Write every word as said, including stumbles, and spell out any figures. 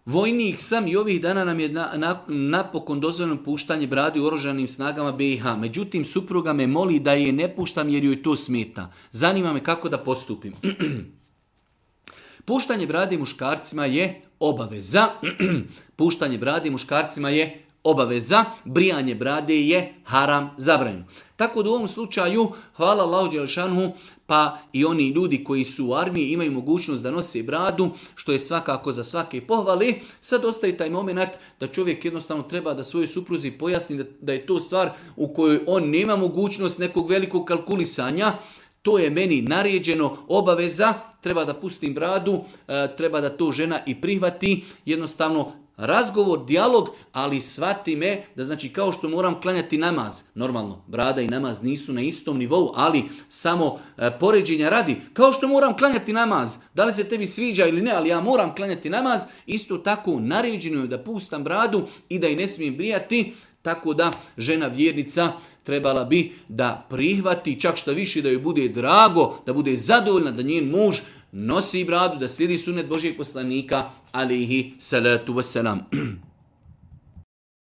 Vojnik sam i ovih dana nam je na, na, napokon dozvoljeno puštanje brade u oružanim snagama B i H. Međutim, supruga me moli da je ne puštam jer joj to smeta. Zanima me kako da postupim. Puštanje brade muškarcima je obaveza. Puštanje brade muškarcima je obaveza. Brijanje brade je haram, zabranjeno. Tako da u ovom slučaju, hvala Allahu dželešanu, pa i oni ljudi koji su u armiji imaju mogućnost da nose bradu, što je svakako za svake pohvale. Sad ostaje taj moment da čovjek jednostavno treba da svojoj supruzi pojasni da, da je to stvar u kojoj on nema mogućnost nekog velikog kalkulisanja. To je meni naređeno, obaveza, treba da pustim bradu, treba da to žena i prihvati. Jednostavno razgovor, dijalog, ali shvati me da znači kao što moram klanjati namaz. Normalno, brada i namaz nisu na istom nivou, ali samo e, poređenja radi. Kao što moram klanjati namaz, da li se tebi sviđa ili ne, ali ja moram klanjati namaz, isto tako naređeno je da pustam bradu i da i ne smijem brijati. Tako da žena vjernica trebala bi da prihvati, čak što više da joj bude drago, da bude zadovoljna da njen muž nosi bradu, da slijedi sunnet Božijeg poslanika, alejhi salatu vesselam.